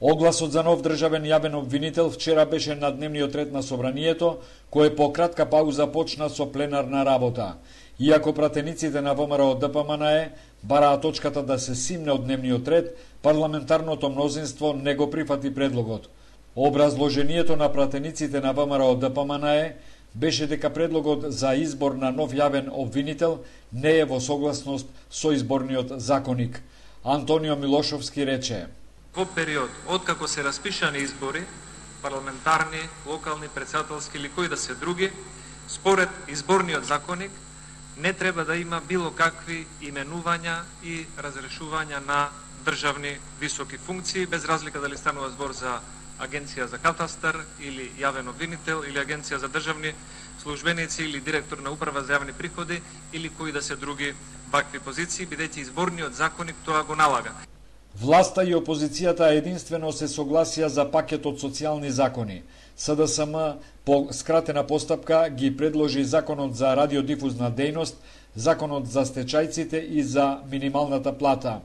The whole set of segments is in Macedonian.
Огласот за нов државен јавен обвинител вчера беше на дневниот ред на собранието, кој по кратка пауза почна со пленарна работа. Иако пратениците на ВМРО ДПМНЕ бараа точката да се симне од дневниот ред, парламентарното мнозинство не го прифати предлогот. Образложението на пратениците на ВМРО ДПМНЕ беше дека предлогот за избор на нов јавен обвинител не е во согласност со изборниот законник. Антонио Милошовски рече: Во период откако се распишани избори, парламентарни, локални, претседателски или кои да се други, според изборниот законник не треба да има било какви именувања и разрешувања на државни високи функции, без разлика дали станува збор за Агенција за катастар или јавен обвинител или Агенција за државни службеници или директор на управа за јавни приходи или кои да се други вакви позиции, бидејќи изборниот законник тоа го налага. Власта и опозицијата единствено се согласија за пакетот социјални закони. СДСМ по скратена постапка ги предложи законот за радиодифузна дејност, законот за стечајците и за минималната плата.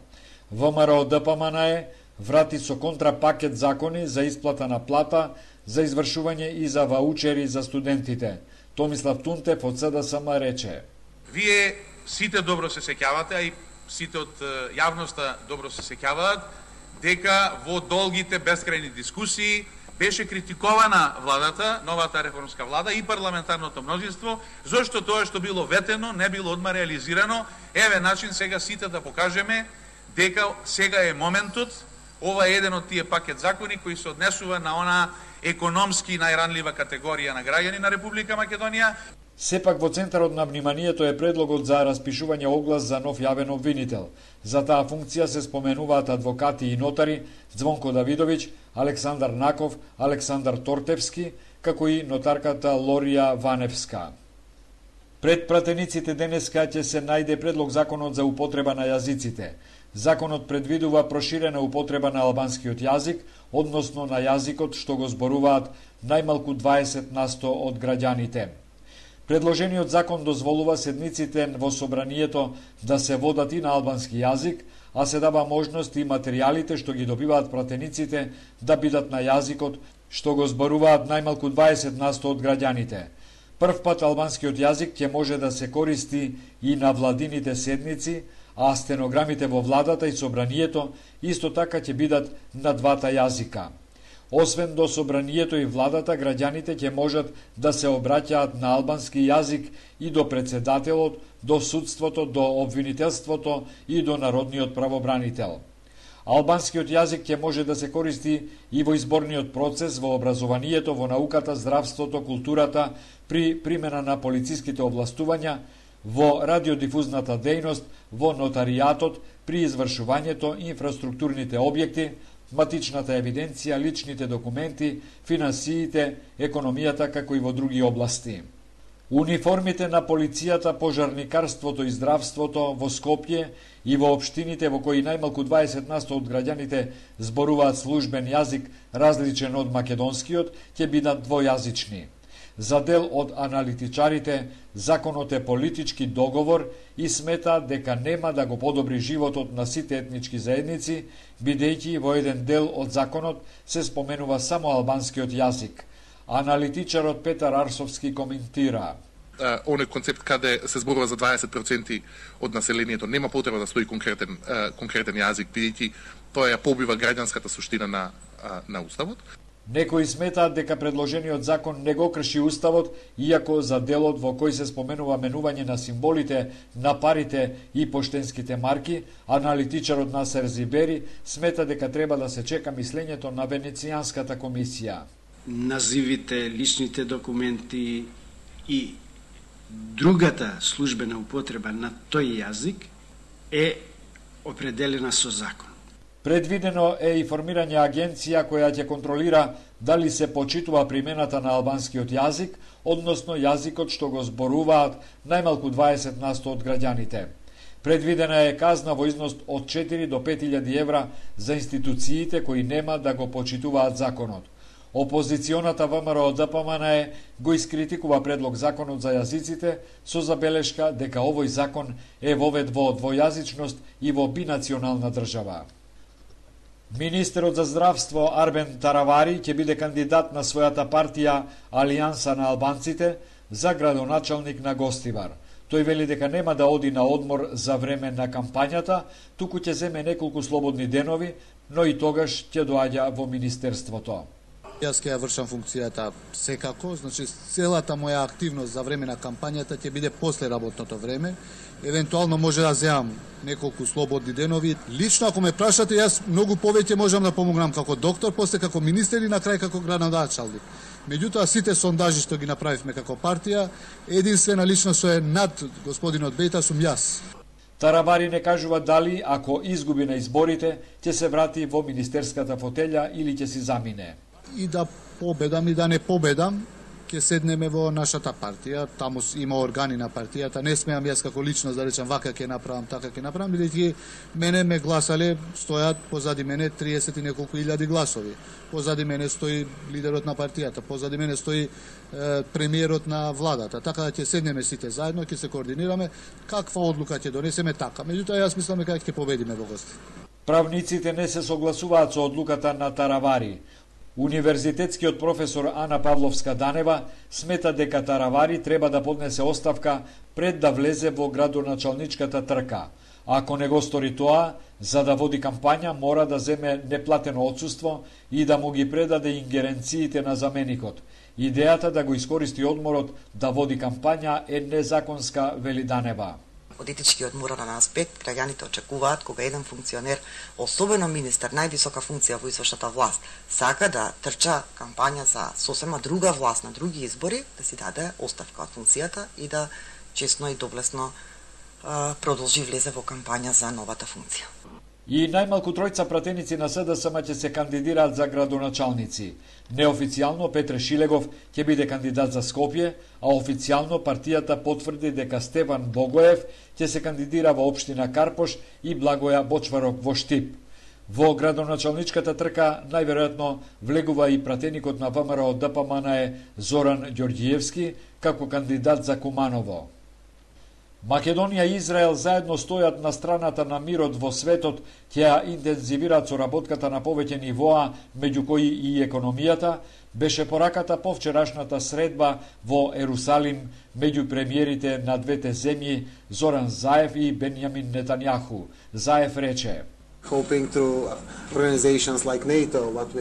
ВМРО ДПМНЕ врати со контрапакет закони за исплата на плата, за извршување и за ваучери за студентите. Томислав Тунтев од СДСМ рече: Вие сите добро се сеќавате, а и сите од јавноста добро се сеќаваат, дека во долгите бескрајни дискусии беше критикована владата, новата реформска влада и парламентарното мнозинство, зашто тоа што било ветено не било одма реализирано. Еве начин сега сите да покажеме дека сега е моментот. Ова е еден од тие пакет закони кои се однесува на она економски најранлива категорија на граѓани на Република Македонија. Сепак во центарот на вниманието е предлогот за распишување оглас за нов јавен обвинител. За таа функција се споменуваат адвокати и нотари Звонко Давидовиќ, Александар Наков, Александар Тортевски, како и нотарката Лорија Ваневска. Пред пратениците денеска ќе се најде предлог законот за употреба на јазиците. Законот предвидува проширена употреба на албанскиот јазик, односно на јазикот што го зборуваат најмалку 20% од граѓаните. Предложениот закон дозволува седниците во собранието да се водат и на албански јазик, а се дава можност и материјалите што ги добиваат пратениците да бидат на јазикот што го зборуваат најмалку 20% од граѓаните. Прв пат албанскиот јазик ќе може да се користи и на владините седници, а стенограмите во владата и собранието исто така ќе бидат на двата јазика. Освен до собранието и владата, граѓаните ќе можат да се обраќаат на албански јазик и до председателот, до судството, до обвинителството и до народниот правобранител. Албанскиот јазик ќе може да се користи и во изборниот процес, во образованието, во науката, здравството, културата, при примена на полициските овластувања, во радиодифузната дејност, во нотаријатот, при извршувањето инфраструктурните објекти, матичната евиденција, личните документи, финансиите, економијата, како и во други области. Униформите на полицијата, пожарникарството и здравството во Скопје и во општините во кои најмалку 20% од граѓаните зборуваат службен јазик различен од македонскиот, ќе бидат двојазични. За дел од аналитичарите, законот е политички договор и смета дека нема да го подобри животот на сите етнички заедници, бидејќи во еден дел од законот се споменува само албанскиот јазик. Аналитичарот Петар Арсовски коментира: оној концепт каде се зборува за 20% од населението, нема потреба да стои конкретен јазик, бидејќи тоа ја побива граѓанската суштина на уставот. Некои сметаат дека предложениот закон не го крши уставот, иако за делот во кој се споменува менување на символите на парите и поштенските марки, аналитичарот Насер Зибери смета дека треба да се чека мислењето на Венецијанската комисија. Називите, личните документи и другата службена употреба на тој јазик е определена со закон. Предвидено е и формирање агенција која ќе контролира дали се почитува примената на албанскиот јазик, односно јазикот што го зборуваат најмалку 20% од граѓаните. Предвидена е казна во износ од 4 до 5.000 евра за институциите кои нема да го почитуваат законот. Опозиционата ВМРО ДПМНЕ го искритикува предлог законот за јазиците со забелешка дека овој закон е вовед во двојазичност и во бинационална држава. Министерот за здравство Арбен Таравари ќе биде кандидат на својата партија Алијанса на албанците за градоначалник на Гостивар. Тој вели дека нема да оди на одмор за време на кампањата, туку ќе земе неколку слободни денови, но и тогаш ќе доаѓа во министерството. Јас ќе ја вршам функцијата секако, значи целата моја активност за време на кампањата ќе биде после работното време. Евентуално може да земам неколку слободни денови. Лично ако ме прашате, јас многу повеќе можам да помогнам како доктор, после како министер и на крај како градоначалник. Меѓутоа, сите сондажи што ги направивме како партија, единствена личност што е над господинот Бејта сум јас. Таравари не кажува дали, ако изгуби на изборите, ќе се врати во министерската фотелја или ќе си замине. И да победам и да не победам, ќе седнеме во нашата партија, таму има органи на партијата, не смеам јас како личност да речам вака ќе направам, така ќе направам, бидејќи мене ме гласале, стојат позади мене 30 и неколку илјади гласови. Позади мене стои лидерот на партијата, позади мене стои премиерот на владата, така да ќе седнеме сите заедно, ќе се координираме, каква одлука ќе донесеме така. Меѓутоа јас мислам дека ќе победиме во Гостив. Правниците не се согласуваат со одлуката на Таравари. Универзитетскиот професор Ана Павловска-Данева смета дека Таравари треба да поднесе оставка пред да влезе во градоначалничката трка. Ако не го стори тоа, за да води кампања мора да земе неплатено отсуство и да му ги предаде ингеренциите на заменикот. Идејата да го искористи одморот да води кампања е незаконска, вели Данева. Од етичкиот морален аспект, граѓаните очекуваат кога еден функционер, особено министер, највисока функција во извршната власт, сака да трча кампања за сосема друга власт на други избори, да си даде оставка од функцијата и да честно и доблесно продолжи влезе во кампања за новата функција. И најмалку тројца пратеници на СДСМ ќе се кандидираат за градоначалници. Неофицијално Петре Шилегов ќе биде кандидат за Скопје, а официјално партијата потврди дека Стефан Богоев ќе се кандидира во општина Карпош и Благоја Бочварок во Штип. Во градоначалничката трка најверојатно влегува и пратеникот на ВМРО ДПМН Зоран Ѓорѓиевски како кандидат за Куманово. Македонија и Израел заедно стојат на страната на мирот во светот, ќе ја интензивираат соработката на повеќе нивоа, меѓу кои и економијата, беше пораката по вчерашната средба во Ерусалим меѓу премиерите на двете земји Зоран Заев и Бенјамин Нетањаху. Заев рече: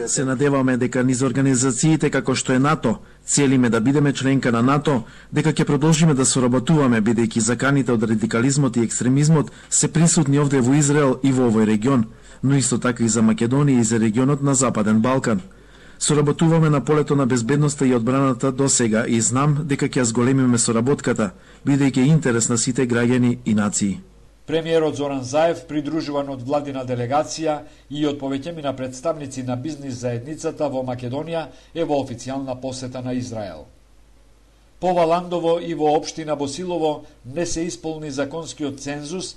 Се надеваме дека низ организациите како што е НАТО, целиме да бидеме членка на НАТО, дека ќе продолжиме да соработуваме бидејќи заканите од радикализмот и екстремизмот се присутни овде во Израел и во овој регион, но исто така и за Македонија и за регионот на Западен Балкан. Соработуваме на полето на безбедноста и одбраната до сега и знам дека ќе зголемиме соработката, бидејќи е интерес на сите граѓани и нации. Премиерот Зоран Заев, придружуван од владина делегација и од повеќемина представници на бизнис заедницата во Македонија, е во официјална посета на Израел. По Валандово и во општина Босилово не се исполни законскиот цензус,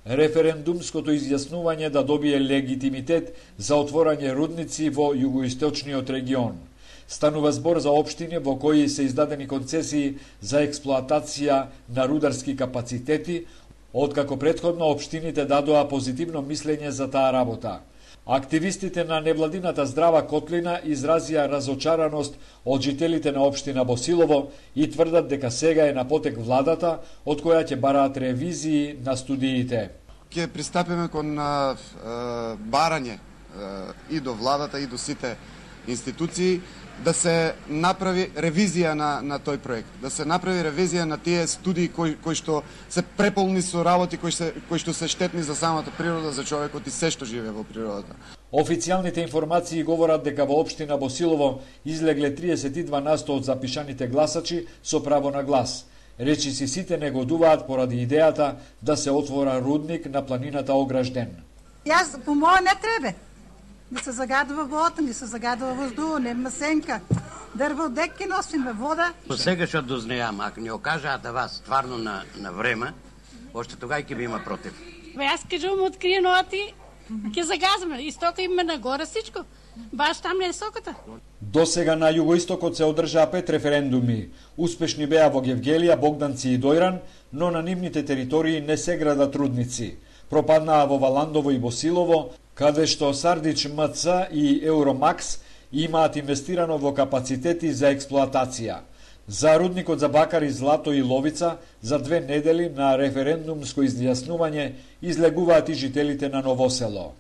референдумското изјаснување да добие легитимитет за отворање рудници во југоисточниот регион. Станува збор за општини во кои се издадени концесии за експлоатација на рударски капацитети, откако претходно општините дадоа позитивно мислење за таа работа. Активистите на невладината Здрава Котлина изразија разочараност од жителите на општина Босилово и тврдат дека сега е на потек владата, од која ќе бараат ревизии на студиите. Ќе пристапиме кон барање и до владата и до сите институции да се направи ревизија на тој проект, да се направи ревизија на тие студии кои што се преполни со работи кои што се штетни за самата природа, за човекот и се што живее во природата. Официјалните информации говорат дека во општина Босилово излегле 32% од запишаните гласачи со право на глас. Речиси сите негодуваат поради идејата да се отвора рудник на планината Огражден. Јас по моје не треба. Не се загадува вода, не се загадува воздух, нема сенка. Дрво деки носиме вода. По сега што дознеам, ако не окажаат вас стварно на време, още тогај ќе би има против. Јас кажувам откриено оти, ќе загазваме, истото име нагоре всичко. Баш там не е соката. До сега на југоистокот се одржаа 5 референдуми. Успешни беа во Гевгелија, Богданци и Дојран, но на нивните територии не се градат рудници. Пропаднаа во Валандово и Босилово, каде што Сардич МЦ и Евромакс имаат инвестирано во капацитети за експлоатација. За рудникот за бакари Злато и Ловица за 2 недели на референдумско изјаснување излегуваат и жителите на Ново село.